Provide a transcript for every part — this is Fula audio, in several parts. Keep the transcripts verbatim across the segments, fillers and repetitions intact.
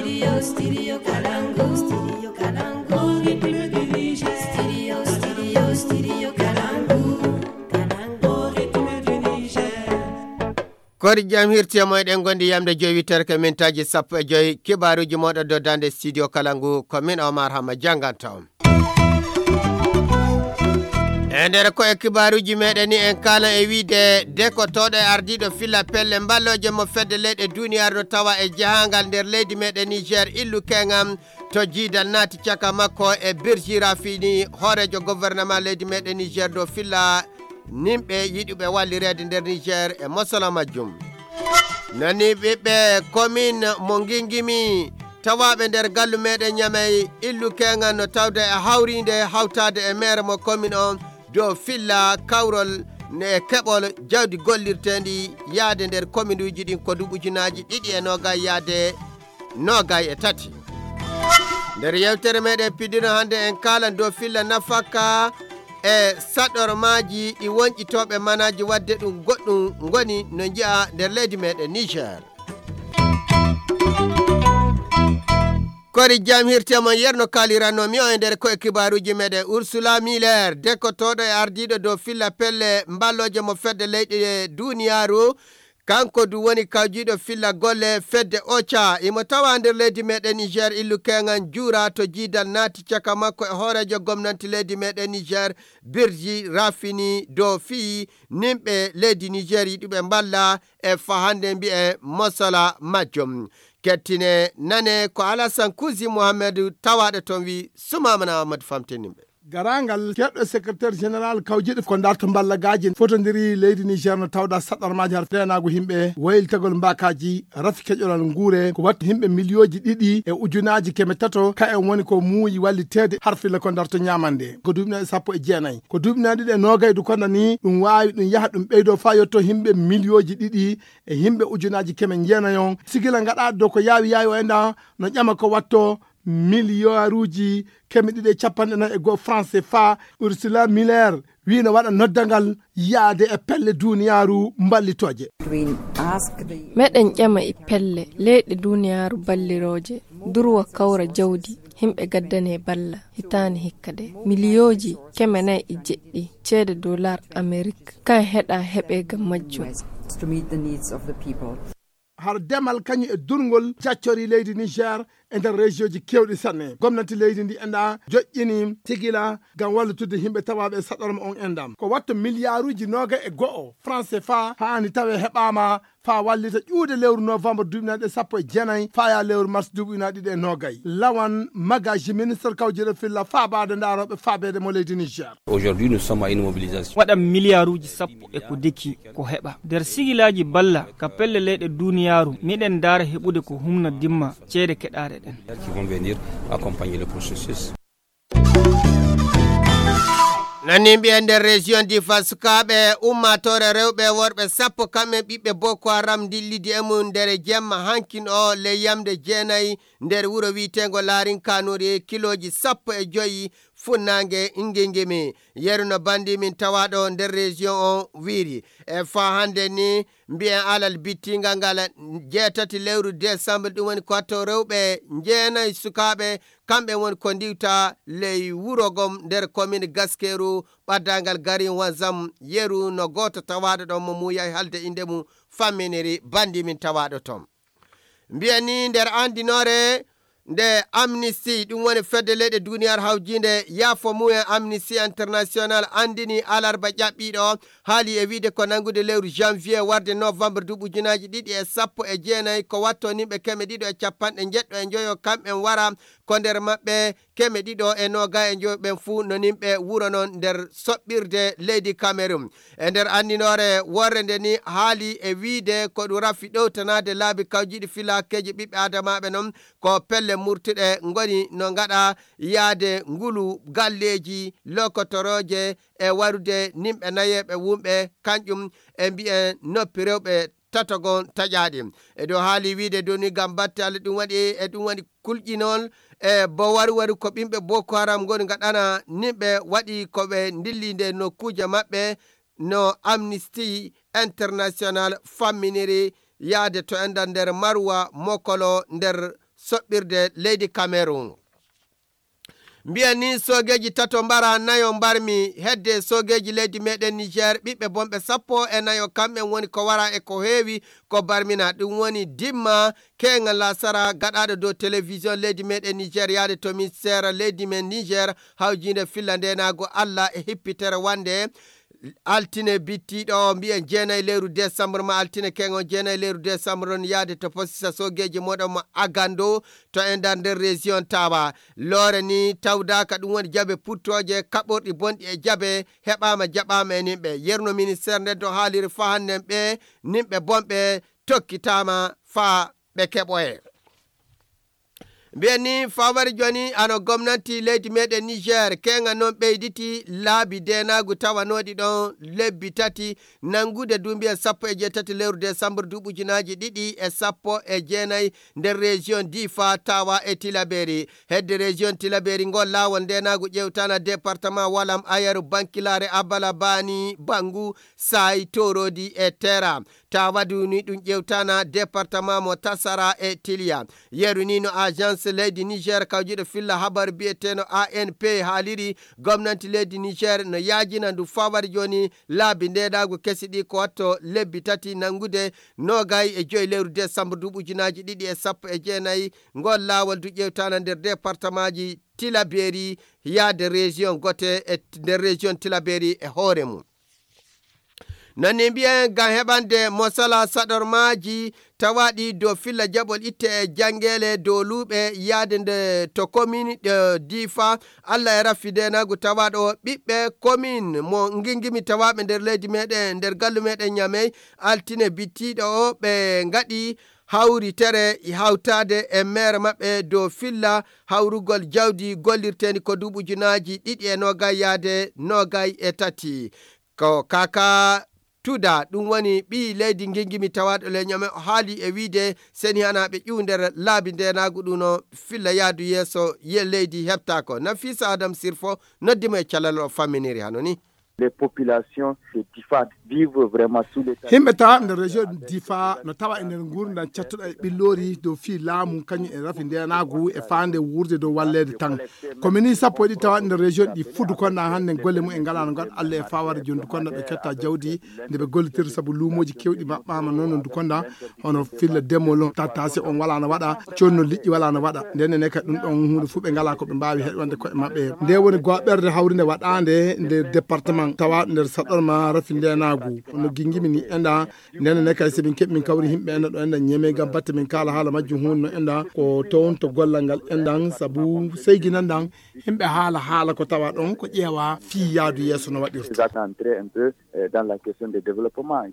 Studio, studio Kalangu, studio Kalangu, rythme du Niger. Studio, studio, studio Kalangu, Kalangu, rythme du Niger. Kori jam hirti e moyɗen gondi yamde joyi wittere ko mintaji sappo e joyi, kibaruji moɗo doddande studio Kalangu, ko min Omar Hama janganta on. E nder ko e kibaaruuji meɗen ni en kaalan e wiide dekotooɗo e ardiiɗo filla pelle mballooje mo fedde leyɗe duuniyaaru no tawa e jahaangal nder leydi meɗen Niger, illu keŋam to jiidal naati caka makko e Birji Rafini, hooreejo gouvernement leydi meɗen Niger dow filla nimɓe yiɗuɓe wallireede nder Niger e mosala majjum. Nani ɓiɓɓe commune mo Ngingimi tawaaɓe nder gallu meɗen Ñamey, illu keŋal no tawde e hawriinde hawtaade e maire mo commune on dow filla kawrol ne e keɓol jawdi gollirteendi yaade nder commune uji ɗin ko duuɓi ujunaaji ɗiɗi e noogay yaade noogay e tati. Nder yewtere meɗen pidino hannde en kaalan dow filla nafaka e saɗormaaji ɗi wonƴitooɓe manaaji waɗde ɗum goɗɗum ngoni no nji'a nder leydi meɗen Niger. Kori jam hirte mon yerno kaliranno mi o e nder ko e kibaaruuji meɗen Ursula Miller, dekkotooɗo e ardiiɗo dow filla pelle mballooje mo fedde leyɗe duuniyaaru, kanko du woni kawjiiɗo filla golle fedde oca. Imo tawa nder leydi meɗen Niger, illu keŋan juura to jiidal naati caka makko e hooreejo gomnanti leydi meɗen Niger, Birji Rafini, dow fii nimɓe leydi Niger yiɗuɓe mballa e fahande mbi'e mosala majjum. Kettine nane ko Alasan Kuzi Muhammadu tawaaɗo toon wi Sumamana Ahmadu famtinimɓe. Garangal keɗɗo secrétaire général kawjiɗo ko darto mballagaaji fotondiri leydi Niger no tawda saɗarmaaji har fenaagu yimɓe, waylitagol mbaakaaji, rafi keƴolal nguure, ko watta yimɓe miliyooji ɗiɗi e ujunaaji keme tato, ka en woni ko muuyi walliteede har filla ko darto ñaamande. Ko duuɓi nayi sappo e jeenayi. Ko duuɓi nayi ɗiɗi e noogay du kono ni ɗum waawi ɗum yaha ɗum ɓeydo faa yotto yimɓe miliyooji ɗiɗi e yimɓe ujunaaji keme jeenayi on. Sigila ngaɗa do ko yaawi yaawi o enda no ƴama ko watto miliyaaruuji keme ɗiɗi e capanɗe nayi e goo franc C F A. Ursula Miller wii no waɗa noddangal yaade e pelle duuniyaaru mballitooje. Meɗen ƴama e pelle leyɗe duuniyaaru ballirooje, durwa kawra jawdi, yimɓe gaddane balla, hitaande hikka de. Miliyooji keme nayi e jeɗɗi ceede dollar Amerik, kan heɗa heɓe gam majjum. Har demal kañum e durngol jaccori leydi Niger e nder région ji kewɗi sanne. Gomnati leydi ndi enda joƴƴini sigila ngam wallutude yimɓe tawaaɓe e saɗorma on endam. Ko watto miliyaaruuji noogay e go'o franc C F A haani tawe heɓaama faa wallita ƴuude lewru novembre duuɓi nayi ɗe sappo e jeenayi faa yaa lewru mars duuɓi ujunaaji ɗiɗi e noogay. Lawan Magaji, ministre kawjiro filla faabaade ndaarooɓe faabeede mo leydi Niger. Aujourd'hui, nous sommes à une mobilisation. Waɗa miliyaaruuji sappo e ko deki ko heɓa. Nder sigilaaji balla ka pelle leyɗe duuniyaaru, miɗen ndaara heɓude ko humna dimma ceede keɗaaɗe ɗen. Qui vont venir accompagner le processus. Nani mbiyen nder région Difa, sukaaɓe ummaatoore rewɓe e worɓe sappo kamɓe ɓiɓɓe Boko Haram ndillidi e mum nder jemma hankin o ley yamde jeenayi nder wuro wiiteengo Laarin Kanuri kilooji sappo e joyi funnaange Ngingimi. Yeru no bandi min tawaaɗo nder région on wiiri. E faa hannde ni mbiyen alal bittingal ngal jeetati lewru décembre, ɗum woni ko watto rewɓe jeenayi sukaaɓe, kamɓe woni ko ndiwta ley wuro gom nder commune Gaskeru, ɓaddangal garin Wanzam. Yeru no gooto tawaaɗo ɗon mo muuyay halde innde mum famminiri bandi min tawaaɗo ton. Mbiyen ni nder anndinoore nde Amnesty, ɗum woni fedde leyɗe duuniyaaru hawjiinde yaafo mumen Amnesty International anndini alarba ƴaɓɓiiɗo, haali e wiide ko nanngude lewru janvier warde novembre duuɓi ujunaaji ɗiɗi e sappo e jeenayi ko watto nimɓe keme ɗiɗo e capanɗe njeɗɗo e njoyo kamɓen wara, ko nder maɓɓe keme ɗiɗo e noogay e njoyo ɓen fuu no nimɓe wuro non nder soɓɓirde leydi Cameroun. E nder anndinoore worre nde ni haali e wiide ko ɗum rafi ɗowtanaade laabi kawjiiɗi filaakeeji ɓiɓɓe aadamaaɓe non ko pelle murtuɗe ngoni no ngaɗa yaade ngulu galleeji lokotorooje e warude nimɓe nayeeɓe wumɓe, kanƴum e mbiyen noppi rewɓe tatagon taƴaaɗi. E dow haali wiide doni ngam batte Allah ɗum waɗi e ɗum waɗi kulƴinol e bo waru waru ko ɓimɓe Boko Haram ngoni ngaɗana nimɓe waɗi ko ɓe ndilli nde nokkuuje maɓɓe no Amnesty International famminiri yaade to enɗan nder Maruwa Mokolo nder soɓɓirde leydi Cameroun. Mbiyen ni soogeeji tato mbara nayo mbarmi hedde soogeeji leydi meɗen Niger, ɓiɓɓe bonɓe sappo e nayo kamɓen woni ko wara e ko heewi ko barmina. Ɗum woni dimma keeŋa lasara gaɗaaɗo dow télévision leydi meɗen Niger yaade to ministère leydi men Niger hawjiinde filla ndenaago Allah e hippitere wande altine bittiiɗo o mbiyen jeenayi lewru décembre ma altine keŋo jeenayi lewru décembre on yaade to posisa soogeeji moɗon mo Agando to e nder nder région Tawa. Loore ni tawdaaka ɗum woni jabe puttooje kaɓorɗi bonɗi e jabe heɓaama jaɓaama e nimɓe. Yerno ministère nden to haaliri fahannen ɓe nimɓe bonɓe tokkitaama faa ɓe keɓoye. Mbiyen ni fawari joni ano gomnanti leydi meɗen Niger keŋa non ɓeyditi laabi denaagu tawanoɗi ɗon lebbi tati nangude duubiya sappo e jeetati lewru décembre duuɓi ujunaaji ɗiɗi e sappo e jeenayi nder région Difa, Tawa e Tilaberi. Hedde région Tilaberi ngol laawol ndenaagu ƴewtana département Walam, Ayaru, Bankilare, Abala, Bani, Bangu, Sayi, Torodi e Tera. Tawa du ni ɗum ƴewtana département mo Tasara e Tiliya. Yeru ni no agence leydi Niger kawjuɗo filla habar biyeteeno A N P haaliri gomnanti leydi Niger no yaajina ndu fawari joni laabi ndenaagu kesi ɗi ko watto lebbi tati nangude nogay e joyi lewru décembre duuɓi ujunaaji ɗiɗi e sappo e jeenayi. Ngol laawol du ƴewtana nder départementji Tilaberi yaade région gote e nder région Tilaberi e hoore mum. Nani mbiyen ngam heɓande mosala saɗormaaji tawaaɗi dow filla jaɓol itte e janngeele dow luuɓe yaade nde to komini ɗe difa Allah e raffi ndenaagu tawaaɗo ɓiɓɓe komin mo ngingimi tawaaɓe nder leydi meɗen nder gallu meɗen ñamey altine bittiiɗo o ɓe ngaɗi hawritere hawtaade e meere maɓɓe dow filla hawrugol jawdi gollirteeni ko duuɓi ujunaaji ɗiɗi e noogay yaade noogay e tati. Ko kaka tuda ɗum woni ɓii leydi ngingimi tawaaɗo le ñame o haali e wiide seni hana ɓe ƴuw nder laabi ndenaagu ɗum no filla yaadu yeeso ye leydi heɓtaako. Nafisa Adam Sirfo noddimo e calal o famminiri hano ni. Les populations de Difa vivent vraiment sous l'état. Himɓe tawa nder région Difa no tawa e nder nguurndam cattuɗo e ɓilloori dow fii laamu kañum e rafi ndenaagu e faande wuurde dow walleede tan. Ko mini sappo e ɗi tawa nder région ɗi fuu Dukonda hannde golle mum en ngalaa no ngaɗa Allah e fawaade jooni Dukonda ɓe ketta jawdi nde ɓe gollitirta sabu luumooji kewɗi maɓɓaama noon no Dukonda hono filla demol tattase on wala no waɗa conno liƴƴi wala no waɗa ndenne ne kadi ɗum ɗon hunde fof ɓe ngala ko ɓe mbawi heɗwande koye maɓɓe nde woni goɓerde hawrinde waɗande nder département tawa nder saɗɗorma rafi ndenagu no gingimi ni enda ndenne ne kadi somin keɓi min kawri yimɓe enda ɗo enda ñeme gam batte min kala haala majjum hunde no enda ko toon to gollal ngal endan sabu seyginan dan yimɓe haala haala ko tawa ɗon ko ƴeewa fii yaadu yeeso no waɗirta. Dans la question de développement.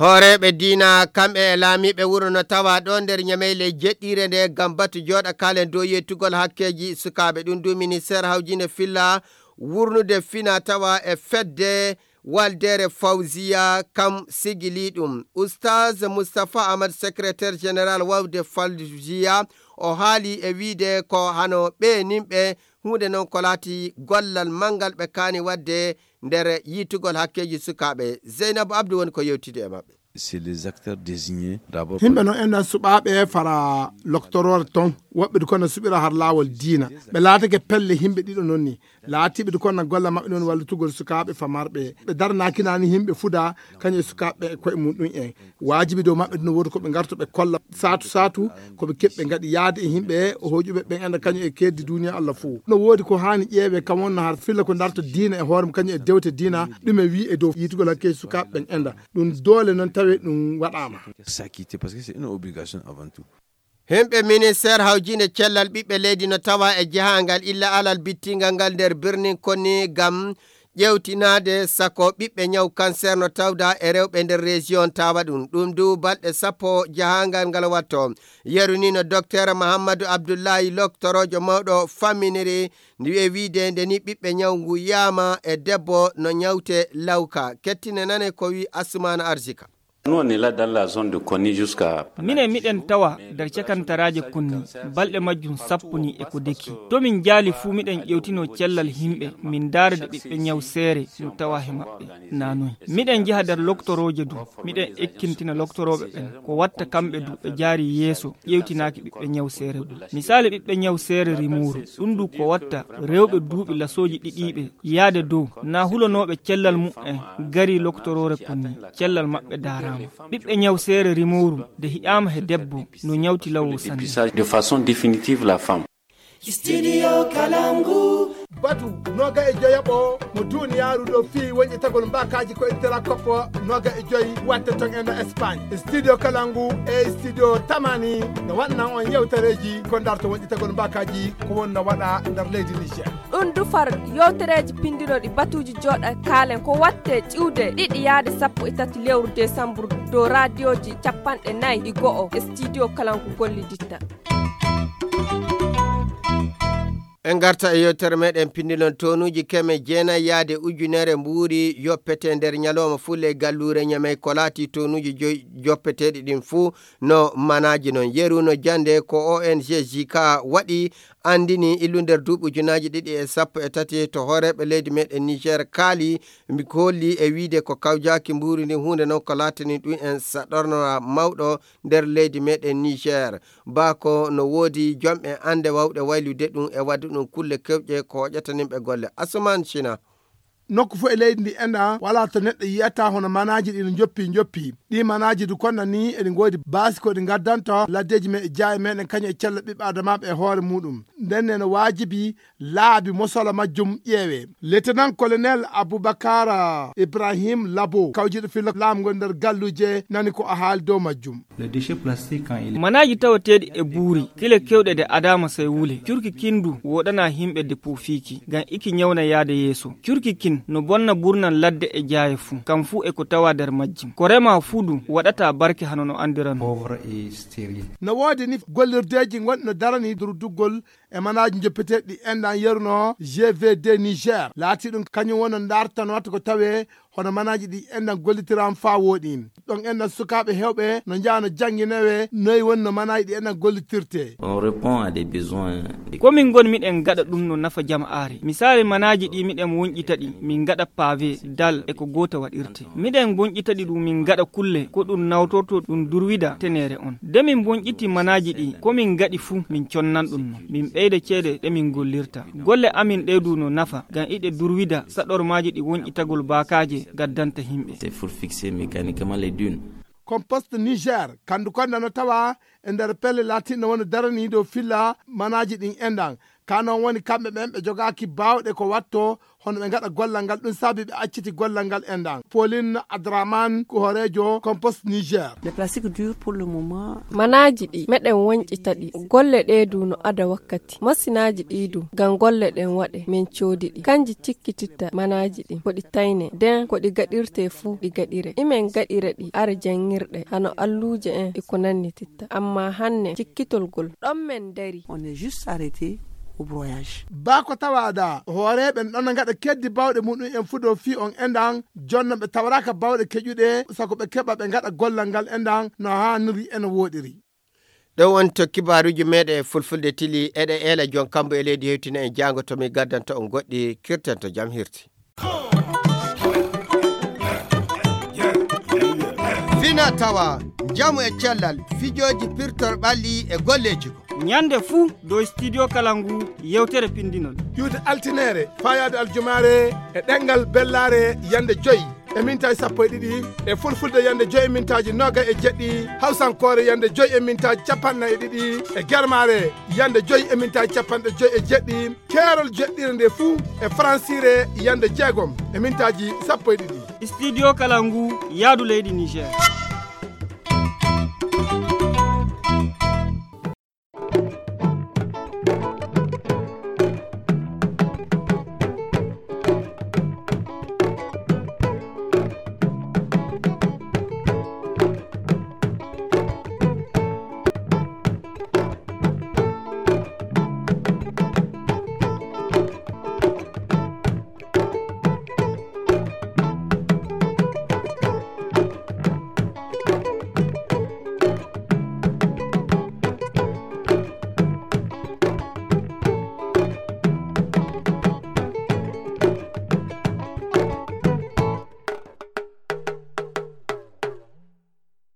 Hooreeɓe diina kamɓe e laamiiɓe wuro no tawa ɗo nder ñameyle jeɗɗiire nde ngam batu jooɗa kaalen dow yettugol hakkeeji sukaaɓe ɗum du ministeer hawjinde filla wurnude fina tawa e fedde waldeere fawziya kam sigili ɗum. Ustaaz Mustapha Ahmad, secrétaire général wawde fawziya, o haali e wiide ko hano ɓe nimɓe huunde noon ko laati gollal manngal ɓe kaani waɗde nder yiitugol hakkeeji sukaaɓe. Zeynabu Abdu woni ko yewtidi e maɓɓe. C'est les acteurs désignés d'abord. Himɓe noon enen suɓaaɓe fara loktoroore toon woɓɓe du kono suɓira har laawol diina ɓe laatake pelle himɓe ɗiɗo noon ni laatiiɓe du kono golle maɓɓe noon wallitugol sukaaɓe famarɓe ɓe daranaakinaani himɓe fuda kañum e sukaaɓe e koye mum ɗum en waajibi dow maɓɓe du no woodi ko ɓe ngarto ɓe kolla saatu saatu ko ɓe keɓɓe ngaɗi yaade e yimɓe o hoƴuɓe ɓen anda kañum e keddi duniya Allah fof no woodi ko haani ƴeewe kam wonno har filla ko darto diina e hoore mum kañum e dewte diina ɗum e wi e dow yitugol hakke sukaaɓe ɓen enda ɗum doole noon tawe ɗum waɗaama. S'acquitter parce que c'est une obligation avant tout. Himɓe ministeer hawjiinde cellal ɓiɓɓe leydi no tawa e jahangal illa alal bittingal ngal nder birnin konni ngam ƴeewtinaade sako ɓiɓɓe ñaw kanseer no tawda e rewɓe nder reesiyon tawa ɗum ɗum du balɗe sappo jahangal ngal watto. Yeru ni no dokteer Mahammadu Abdullahi loktoroojo mawɗo famminiri ndi e wiide nde ni ɓiɓɓe ñaw ngu yaama e debbo no ñawte lawka kettine nane ko wi Assumaana Arsika. Nous, on est là dans la zone de Konni jusqu'à... Minen miɗen tawa nder cakantaraaje Konni, balɗe majjum sappo ni e ko deki. To min njaali fuu miɗen ƴewtino cellal yimɓe, min ndaara de ɓiɓɓe ñaw seere no tawa he maɓɓe. Na noy. Miɗen njaha nder loktorooje du, miɗen ekkintina loktorooɓe ɓen. Ko watta kamɓe du ɓe jaari yeeso, ƴewtinaaki ɓiɓɓe ñaw seere du. Misaali ɓiɓɓe ñaw seere rimooru, ɗum du ko watta rewɓe duuɓi lasooji ɗiɗiiɓe yaade dow, na hulonooɓe cellal mu'en gari loktoroore Konni, cellal maɓɓe daaraama. Ɓiɓɓe ñaw seere rimooru de hi'aama he debbo no ñawti lawo sanne. De façon définitive la femme. Studio Kalangu. Batu noga e joyaɓo mo duniyaaru ɗo fii wonƴetagol mbakaji ko intera koppo noga e joyi watte ton e no Espagne. Studio Kalangu e studio Tamani no waɗnan on yewtereji ko ndarto wonƴetagol mbakaji ko wonno waɗa nder leydi Niger. Ɗum dufar yewtereji pindinoɗi batuji joɗa kaalen ko watte ƴiwde ɗiɗi yaade sappo e tati lewru desambur dow radioji capanɗe nayi e go'o e studio Kalangu golliditta. En ngarta e yewtere meɗen pinndilon tonuuji keme jeenayi yaade ujunere mbuuri yoppete nder ñalawma fulle e galluure Ñamey ko laati tonuuji joy joppeteeɗi ɗin fuu no manaaji non. Yeru no jannde ko O N G J K waɗi anndini illu nder duuɓi ujunaaji ɗiɗi e sappo e tati to hooreeɓe leydi meɗen Niger kaali mi holli e wiide ko kawjaaki mbuuri ndin huunde non ko laatani ɗum en saɗornora mawɗo nder leydi meɗen Niger. Baa ko no woodi jomɓe annde wawɗe waylude ɗum e waɗde ɗum kulle kewƴe ko hoƴataninɓe golle. Asuman Sina. Nokku fof e leydi ndi enɗan wala to neɗɗo yiyata hono manaaji ɗi no njoppi njoppi. Ɗi manaaji du konna ni eɗi ngoodi baasi ko ɗi ngaddanta laddeeji men e jaaye meɗen kañum e cella ɓiɓɓe adamaaɓe e hoore muɗum. Nden ne no waajibi laabi mosola majjum ƴeewe. Lieutenant colonel Aboubacar Ibrahim Labo, kawjiɗo filla laamu ngon nder galluje, nani ko a haali dow majjum. Le déchet plastique, quand il est... Manaaji tawateeɗi e buuri, kile kewɗe de adaama sey wule. Curki kin du woɗana himɓe de puufiiki, ngam iki ñawna yaade yeeso. Curki kin no bonna burnan ladde e jaaye fuu, kam fuu e ko tawa nder majjum. Ko rema fuu du waɗata barke hano no andiran. Pauvre et stérile. No woodi ni gollirdeeji ngonɗi no darani durduggol e manaaji njoppeteeɗi ɗi enɗan yeruno G V D Niger. Laati ɗum kañum woni no ndartan watta ko tawe hono manaaji ɗi enɗan gollitiraama faa wooɗi. Ɗon enɗan sukaaɓe heewɓe no njaha no jannginawe noy woni no manaaji ɗi enɗan gollitirte. On répond à des besoins. Ko min ngon miɗen gaɗa ɗum no nafa jama'aare. Misaali manaaji ɗi miɗen wonƴita ɗi, min gaɗa pavé, dal e ko goota waɗirte. Miɗen bonƴita ɗi ɗum min gaɗa kulle ko ɗum nawtorto ɗum durwida teneere on. De min bonƴiti manaaji ɗi ko min gaɗi fuu min connan ɗum non. Min ɓeyda ceede ɗe min gollirta. Golle amin ɗe du no nafa ngam iɗe durwida saɗormaaji ɗi wonƴitagol baakaaje gaddanta himɓe. C'est pour fixer mécaniquement les dunes. Compost Niger, kandu konda no tawa e nder pelle latinɗo woni daraniiɗo filla manaaji ɗin enɗan. Ka non woni kamɓe ɓen ɓe jogaaki baawɗe ko watto hono ɓe ngaɗa gollal ngal ɗum saabi ɓe acciti gollal ngal enɗan. Pauline Adraman ko hooreejo Compost Niger. Les plastiques durs pour le moment. Manaaji ɗi meɗen wonƴita ɗi. Golle ɗe du no ada wakkati. Masinaaji ɗi du ngam golle ɗen waɗe min coodi ɗi. Kanji cikkititta manaaji ɗin ko ɗi tayne. Den ko ɗi gaɗirte fuu ɗi gaɗire. Imen gaɗira ɗi ara janngirɗe hano alluuje en e ko nannititta. Amma hanne cikkitol gol ɗon men dari. On est juste arrêté au broyage. Baa ko tawaada hooreeɓe ɗon ngaɗa keddi bawɗe muɗum en fudo fii on enɗan jonno ɓe tawraka bawɗe keƴuɗe sako ɓe keɓa ɓe ngaɗa gollal ngal enɗan no haaniri e no wooɗiri. Ɗo woni to kibaaruuji meɗen e fulfulde tili eɗe eela jon kambo e leydi hewtina en jaango to mi gaddanta on goɗɗi kirten to jam hirti. Fina tawa njamu e cellal fijooji pirtor ɓalli e golleeji ko. Ñande fuu dow studio kala ngu yewtere pindinol. Ƴuwde altineere faayaade aljumaare e ɗemngal bellaare yande joyi e mintaaji sappo e ɗiɗi e fulfulde yande joyi e mintaaji noga e jeɗɗi hawsankoore yande joyi e mintaaji capanɗe e ɗiɗi e germaare yande joyi e mintaaji capanɗe joyi e jeɗɗi. Keerol jeɗɗire nde fuu e faransiire yande jeegom e mintaaji sappo e ɗiɗi. Studio kala ngu yaadu leydi Niger.